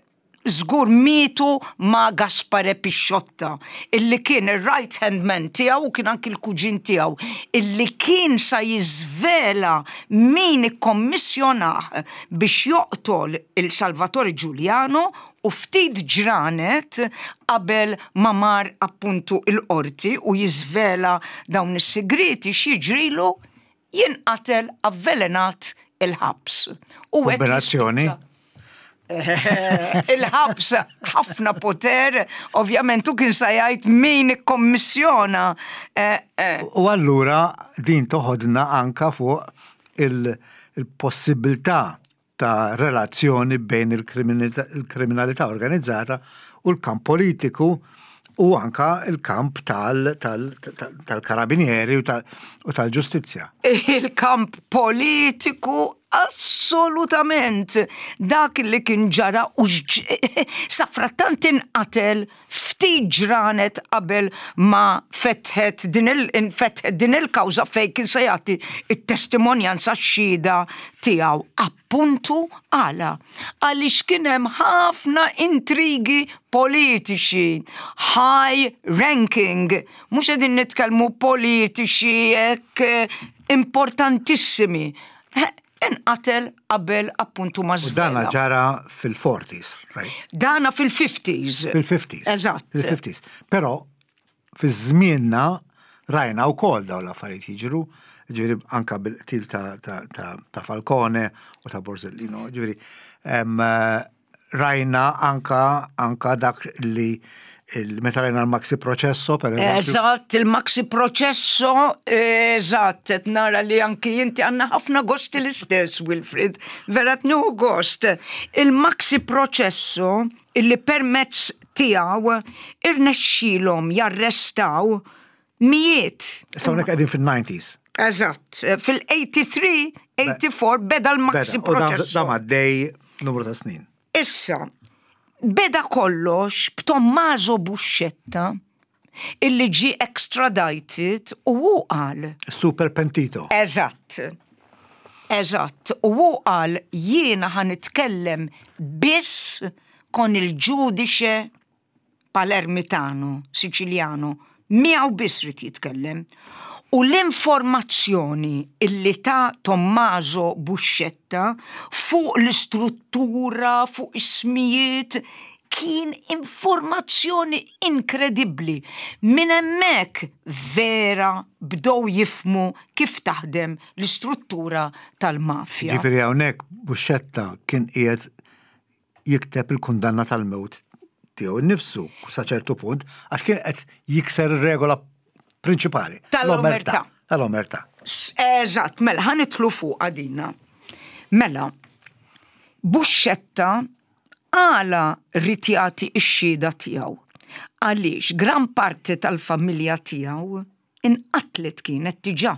Żgur mietu ma' Gaspare Pisciotta, illi kien ir-right hand man tiegħu u kien anki l-kuġin tiegħu, illi kien sa jiżvela min ikkommissjonah biex joqtol il Salvatore Giuliano u ftit ġranet qabel ma mar appuntu l-qorti u jiżvela dawn is-sigrieti x'jiġrilu? Jinqatel avvelenat il-ħabs. U Kombinazzjoni. Il-ħabs ħafna poter, ovvjament u kien sa jgħid min ikkommissjona. Eh, eh. U allura din toħodna anka fuq il-possibilità ta' relazzjoni bejn il-kriminalità organizzata u l-kamp politiku u anka il-kamp tal-karabinieri u tal-ġustizzja. Il-kamp politiku assolutament dak li kien ġara u safrattant inqatel ftit ġranet qabel ma fetħet din il-infetħet din il-kawża fejn kien se jagħti t-testimonjanza x-xhieda tiegħu. Appuntu għala? Għaliex kien hemm ħafna intrigi politiċi, high ranking, mhux qegħdin nitkellmu politiċi hekk importantissimi. Inqatel qabel appuntu ma żvela. Dana ġara fil-40s, right? Dana fil-50s. Fil-50s. Eżatt. Fil-50s. Però fi żmienna rajna wkoll dawn l-affarijiet jiġru, ġifieri anka bil-qtil ta' Falcone u ta' Borsellino, ġifieri rajna anka anka dak li meta rajna l-maxi processo per eżempju. Eżatt, il-maxi processo, eżatt, qed nara li anki inti għandna ħafna gosti l-istess, Wilfrid, vera tnieħu gost. Il-maxi processo illi permezz tiegħu irnexxielhom jarrestaw mijiet. Issa hawnhekk qegħdin fil-90s. Eżatt, fil-83, 84 beda l-maxi proċess. Da għaddej numru ta' snin. Issa, beda kollox b'Tommaso Buscetta illi ġi extradited u hu qal. Super pentito. Eżatt. Eżatt. U hu qal jiena ħa nitkellem biss kon il-ġudice Palermitano, Siċiljano, miegħu biss ried jitkellem. U l-informazzjoni illi ta Tommaso Buscetta fuq l-istruttura, fuq ismijiet, kien informazzjoni inkredibbli. Minn hemmhekk vera bdew jifhmu kif taħdem l-istruttura tal-mafja. Ġifieri hawnhekk Buscetta kien qiegħed jikteb il-kundanna tal-mewt tiegħu nnifsu sa ċertu punt għax kien qed jikser ir-regola prinċipali. Tal-omertà. Tal-omertà. Eżatt, mela ħa nidħlu fuqha dina. Mela, Buscetta għala ried jagħti x-xhieda tiegħu? Għaliex gran parti tal-familja tiegħu inqatlet kienet diġà.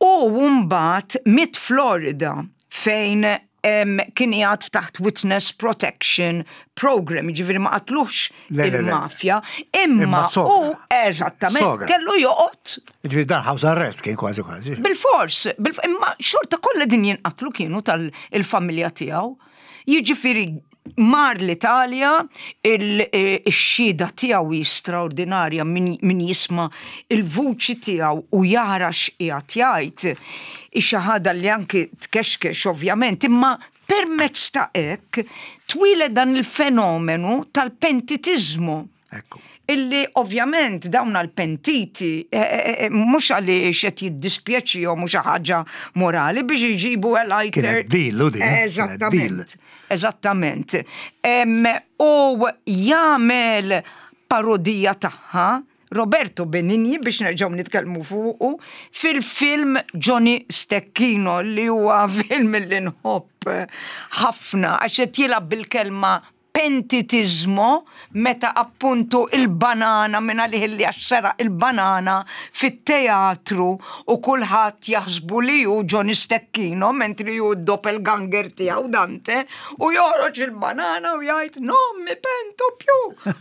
U mbagħad miet Florida fejn kien qiegħed taħt Witness Protection Program, jiġifieri ma qatluhx il-mafja, imma u eżattament kellu joqgħod. Jiġifieri dan house arrest kien kważi kważi. Bil-fors, imma xorta kollha din jinqatlu kienu tal-familja tiegħu. Jiġifieri mar l-Italja, ix-xhieda tiegħu hi straordinarja min jisma' il-vuċi tiegħu u jara x'qiegħed jgħid. Hi xi ħaġa li anki tkexkex ovvjament, imma permezz ta' hekk twieled dan il-fenomenu tal-pentitiżmu. Ekku. Illi ovvjament dawn għal-pentiti eh, eh, eh, mhux għaliex qed jiddispjaċihom u xi ħaġa morali biex iġibu a lighter. Kienet deal u din. Eżattament. Eżattament. U jagħmel parodija tagħha Roberto Benigni biex nerġgħu nitkellmu fuqu fil-film Johnny Stecchino li huwa film li nħobb ħafna għax qed jilgħab bil-kelma pentitiżmo meta appuntu il-banana minn għalih li għax seraq il-banana fit-teatru u kulħadd jaħsbu li hu Johnny Stecchino mentri hu d-doppelganger tiegħu Dante u joħroġ il-banana u jgħid non mi pento più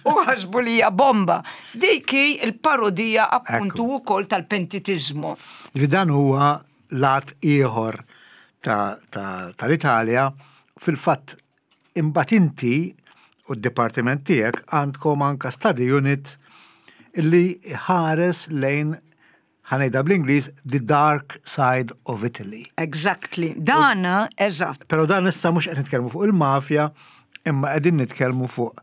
u ħasbu li hija bomba. Dik hi l-parodija appuntu wkoll tal-pentitiżmo. Ġifieri dan huwa lat ieħor tal-Italja fil-fatt. Imbagħad inti u d-dipartiment tiegħek għandkom anka study unit li ħares lejn ħa ngħidha bl-Ingliż the dark side of Italy. Exactly. Dana, eżatt. Però dan issa mhux qed nitkellmu fuq il-mafja, imma qegħdin nitkellmu fuq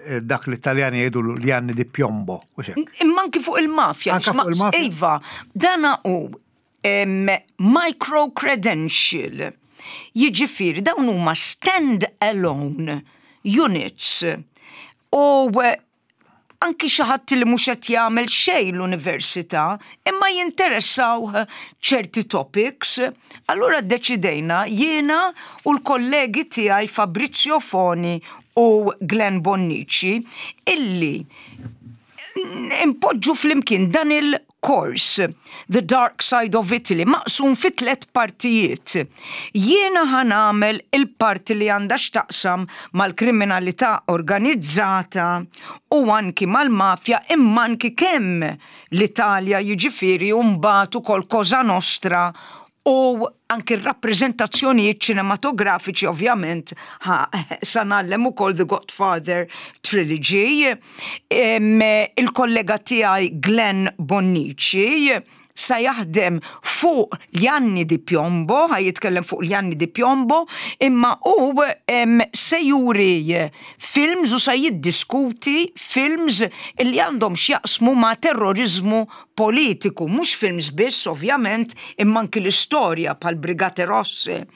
eh, dak li Taljani jgħidu gli anni di piombo. Imma anki fuq il-mafja. Anka fuq il-mafja. Iva, dana u micro credential. Jiġifieri dawn huma stand alone units. U eh, anki xi ħadd li mhux qed jagħmel xejn l-università, imma jinteressaw ċerti topics, allura ddeċidejna jiena u l-kollegi tiegħi Fabrizio Foni u Glenn Bonnici illi impoġġu flimkien dan il-kors The Dark Side of Italy maqsum fi tlet partijiet. Jiena ħa nagħmel il-parti li għandha x'taqsam mal-kriminalità organizzata u anki mal-mafja imma anki kemm l-Italja jiġifieri u mbagħad ukoll Cosa Nostra u anki r-rappreżentazzjonijiet ċinematografiċi ovvjament sa ngħallem ukoll The Godfather Trilogy. Il-kollega tiegħi Glenn Bonnici sa jaħdem fuq gli anni di piombo, ħa jitkellem fuq gli anni di piombo, imma u se juri films u sa jiddiskuti films li għandhom x'jaqsmu ma' terrorizmu politiku, mhux films biss ovvjament, imma anki l-istorja bħal Brigate Rosse.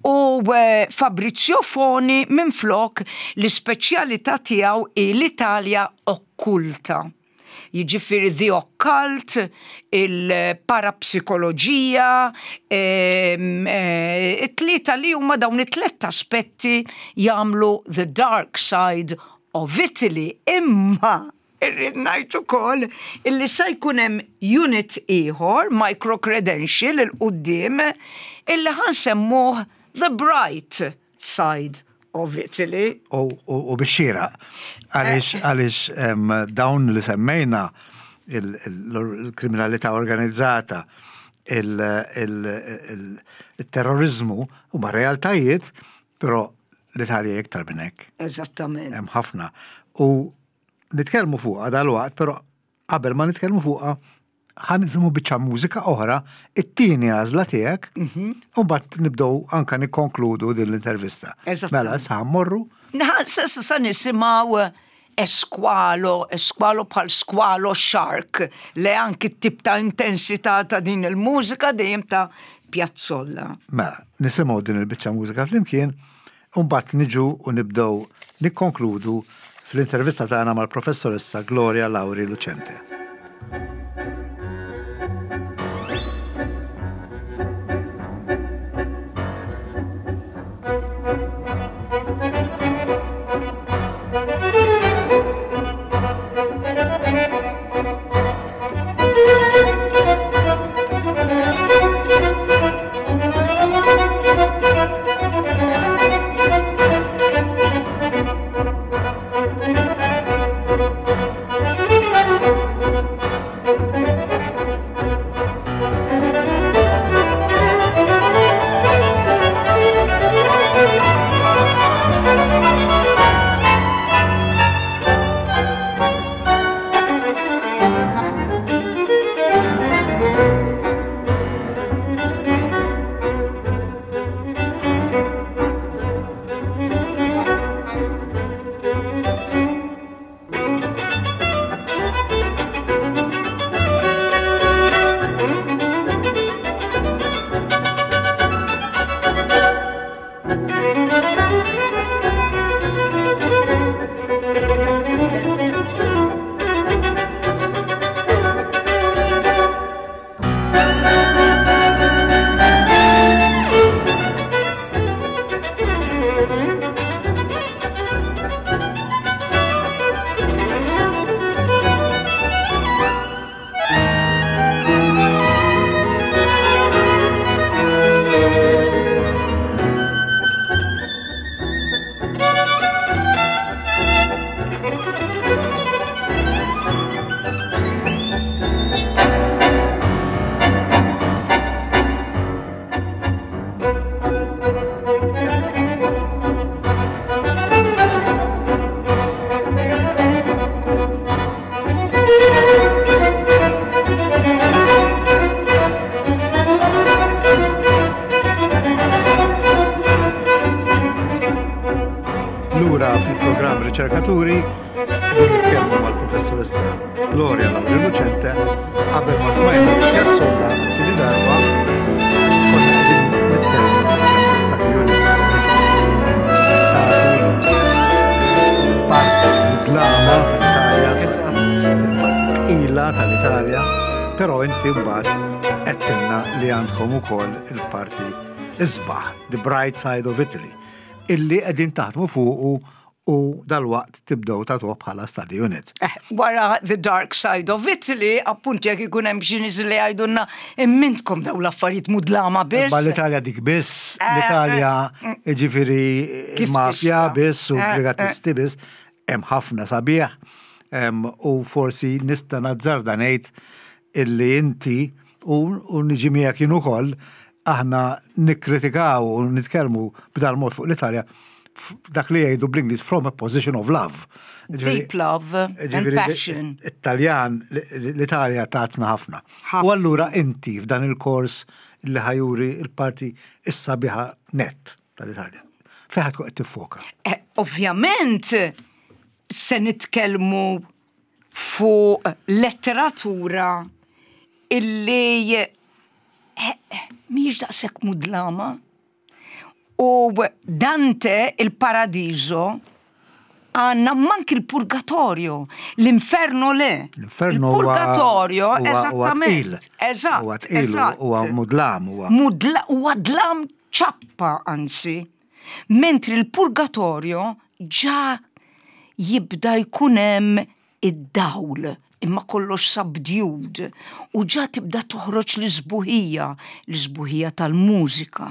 U eh, Fabrizio Foni minflok l-ispeċjalità tiegħu hi l-Italja okkulta. Jiġifieri the occult, il-parapsikoloġija, ehm, eh, it-tlieta li huma dawn it-tlet aspetti jagħmlu the dark side of Italy. Imma Irrid ngħid ukoll illi sa jkun hemm unit ieħor, micro-credential 'il quddiem, illi ħa nsemmuh the bright side of Italy. U bix-xieraq, għaliex għaliex dawn li semmejna il-kriminalità organizzata, il-terroriżmu huma realtajiet, però l-Italja iktar minn hekk. Eżattament. Hemm ħafna. U Nitkellmu fuqha dalwaqt, però qabel ma nitkellmu fuqha ħa nisimgħu biċċa mużika oħra, it-tieni għażla tiegħek, mhm. u mbagħad nibdew anka nikkonkludu din l-intervista. Mela, issa mmorru. Sa nisimgħu esqualo, esqualo bħal squalo shark, li anki t-tip ta' intensità ta' din il-mużika dejjem ta' Piazzolla. Mela, nisimgħu din il-biċċa mużika flimkien U mbagħad niġu u nibdew nikkonkludu fl-intervista tagħna mal-Professoressa Gloria Lauri Lucente. Lura fil-programm Riċerkaturi, qegħdin nitkellmu mal-professoressa Gloria Lauri Lucente qabel ma smajna Piazzolla tieni darba konna qegħdin nitkellmu fuq l-Study Unit parti mudlama tal-Italja, parti tqila tal-Italja, però inti mbagħad għedtilna li għandkom ukoll il-parti isbaħ, the bright side of Italy. illi qegħdin taħdmu fuqu u dalwaqt tibdew tagħtuh bħala study unit. Eh, wara The Dark Side of Italy, appuntu jekk ikun hemm xi nies li jgħidulna immintkom daw l-affarijiet mudlama biss. Ma l-Italja dik biss, eh, l-Italja eh, mm. ġifieri mafja biss u brigatisti biss, hemm ħafna sabiħ u forsi nista' nazzarda ngħid illi inti u niġi miegħek jien ukoll aħna nikkritikaw u nitkellmu b'dal mod fuq l-Italja dak li jgħidu bl-Ingliż from a position of love. Deep love and passion. Italjan, l-Italja tatna ħafna. U allura inti f'dan il-kors li ħa juri il-parti is-sabiħa net tal-Italja. Fejn tkun qed tiffoka? Eh, ovvjament se nitkellmu fuq letteratura illi eh, mhijiex daqshekk mudlama. U Dante il-Paradiso għandna mank il-purgatorio, l-inferno le. L-inferno Il-purgatorio, eżattament. Eżatt. Huwa mudlam. Huwa dlam ċappa anzi. Mentri l-purgatorio ġa jibda jkun hemm id-dawl, imma kollox subdued, u ġa tibda toħroġ l-isbuħija, l-isbuħija tal-mużika,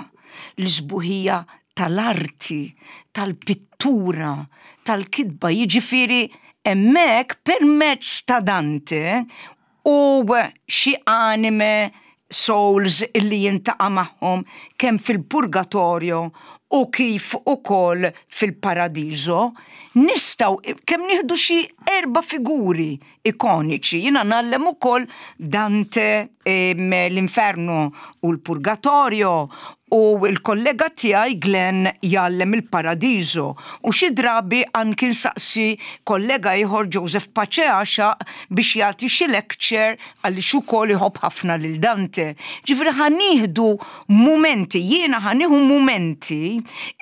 l-isbuħija tal-arti, tal-pittura, tal-kitba, jiġifieri hemmhekk permezz ta' Dante u xi anime souls illi jiltaqa' magħhom kemm fil-purgatorio u kif ukoll fil-paradiso, nistgħu kemm nieħdu xi erba' figuri ikoniċi. Jiena ngħallem ukoll Dante l-Inferno u l-Purgatorio u l-kollega tiegħi Glenn jgħallem il-Paradiso u xi drabi anki nsaqsi kollega ieħor Joseph Pace Għaxaq biex jagħti xi lecture għaliex ukoll iħobb ħafna lil Dante. Ġifieri ħa nieħdu mumenti, jiena ħa nieħu mumenti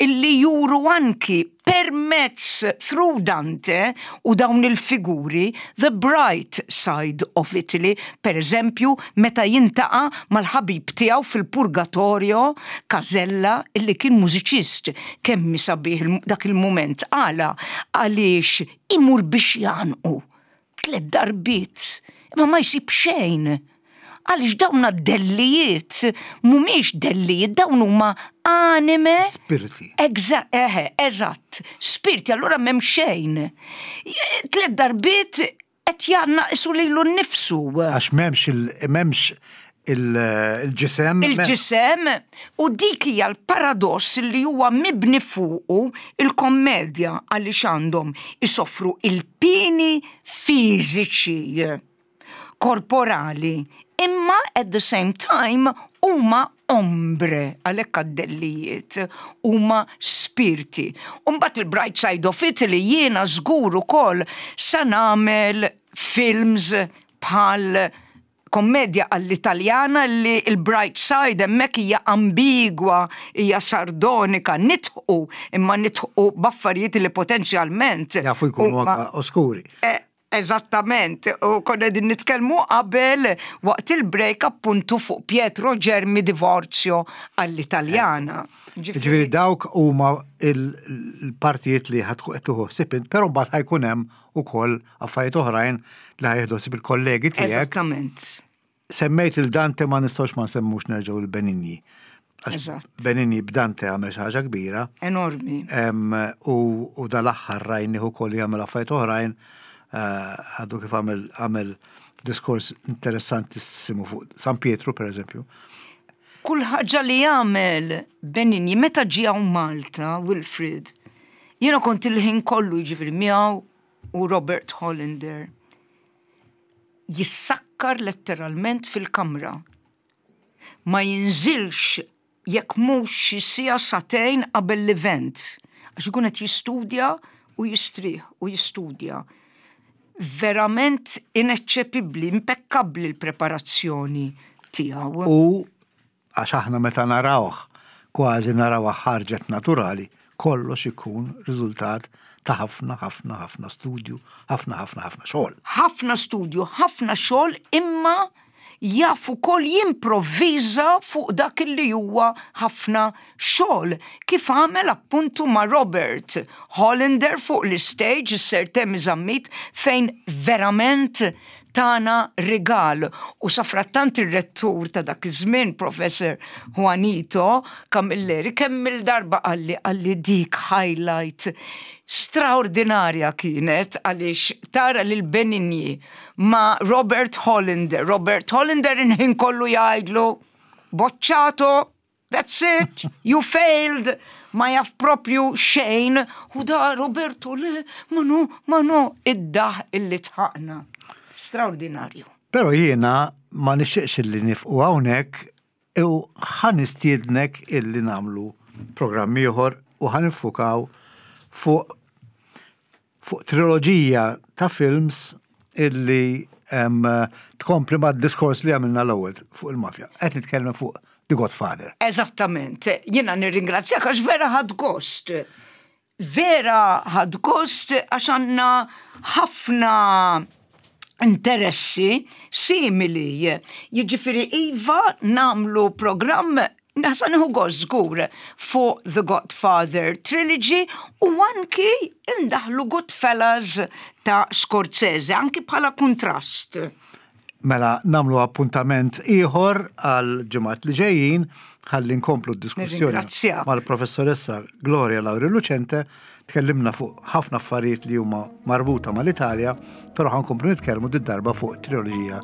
illi juru anki permezz through Dante u dawn il-figuri the bright side of Italy, per eżempju meta jiltaqa' mal-ħabib tiegħu fil-Purgatorio Casella illi kien mużiċist. Kemm hi sabiħ dak il-mument għala għaliex imur biex jgħannqu tlet darbiet imma ma jsib xejn. Għaliex dawn dellijiet mhumiex dellijiet, dawn huma anime. Spiriti. Eħe, eżatt. Spirti, allura m'hemm xejn. Tlet darbiet qed jgħannaq isu lilu nnifsu. Għax m'hemmx m'hemmx il-ġisem. Il-ġisem u dik hija l-paradoss li huwa mibni fuqu il-kommedja għaliex għandhom isofru il-pini fiżiċi korporali, imma at the same time huma ombre, għalhekk għad-dellijiet, huma spirti. Umbagħad il-Bright Side of Italy jiena żgur ukoll sa nagħmel films bħal kommedja għall-Italjana li il-bright side hemmhekk hija ambigwa, hija sardonika, nidħqu, imma nidħqu b'affarijiet li potenzjalment Jafu jkunu anka oskuri. Eh, Eżattament, u konna din nitkellmu qabel waqt il-break appuntu fuq Pietro Germi Divorzio all'Italjana. Ġifieri dawk huma il-partijiet li ħa tkun qed tieħu ħsieb int, però mbagħad ħa jkun hemm ukoll affarijiet oħrajn li ħa jieħdu ħsieb il-kollegi tiegħek. Eżattament. Semmejt il-Dante ma nistgħux ma nsemmux nerġgħu il-Benigni. Eżatt. Benigni b'Dante għamel xi ħaġa kbira. Enormi. U dal-aħħar rajnih ukoll jagħmel affarijiet oħrajn eh, għadu kif għamel għamel diskors interessantissimu fuq San Pietru per eżempju. Kull ħaġa li jagħmel Benigni meta ġie hawn Malta, Wilfrid, jiena kont il-ħin kollu jiġifieri miegħu u Robert Hollander. Jissakkar letteralment fil-kamra. Ma jinżilx jekk mhux xi siegħa sagħtejn qabel l-event. Għax ikun qed jistudja u jistrieħ u jistudja. Verament ineċċepibbli, impekkabbli l-preparazzjoni tiegħu. U għax aħna meta narawh kważi narawha ħarġet naturali, kollox ikun riżultat ta' ħafna, ħafna, ħafna studju, ħafna, ħafna, ħafna xogħol. Ħafna studju, ħafna xogħol imma jaf ukoll jimprovviża fuq dak li huwa ħafna xogħol, kif għamel appuntu ma' Robert Hollander fuq l-istage, is-Sir Temi Zammit, fejn verament tana rigal u safrattant ir-rettur ta' dak iż-żmien Professor Juanito Camilleri kemm il-darba qalli qalli dik highlight straordinarja kienet għaliex tara lil Benigni ma' Robert Hollander. Robert Hollander il-ħin kollu jgħidlu bocciato, that's it, you failed, ma jaf propju xejn, u da Roberto le, ma no, ma no, id-daħk illi dħakna. Straordinarju. Pero jiena ma nixtieqx illi nieqfu hawnhekk u ħa nistiednek illi nagħmlu programm ieħor u ħa niffukaw fuq fuq triloġija ta' films illi tkompli ma' diskors li għamilna l-ewwel fuq il-mafja. Qed nitkellem fuq The Godfather. Eżattament. Jiena nirringrazzjak għax vera ħadt gost. Vera ħadt gost għax għandna ħafna interessi simili. Jiġifieri iva nagħmlu programm Nasa nieħu gost żgur fuq The Godfather Trilogy u anki indaħlu Goodfellas ta' Scorsese, anki bħala kontrast. Mela nagħmlu appuntament ieħor għal ġimgħat li ġejjin ħalli nkomplu d-diskussjoni Nirringrazzjak. mal-professoressa Gloria Lauri Lucente. Tkellimna fuq ħafna affarijiet li huma marbuta mal-Italja, però ħa nkomplu nitkellmu did-darba fuq triloġija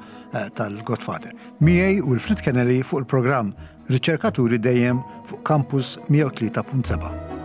tal-Godfather. Miegħi Wilfred Kennelly fuq il-programm Riċerkaturi dejjem fuq Campus 103.7.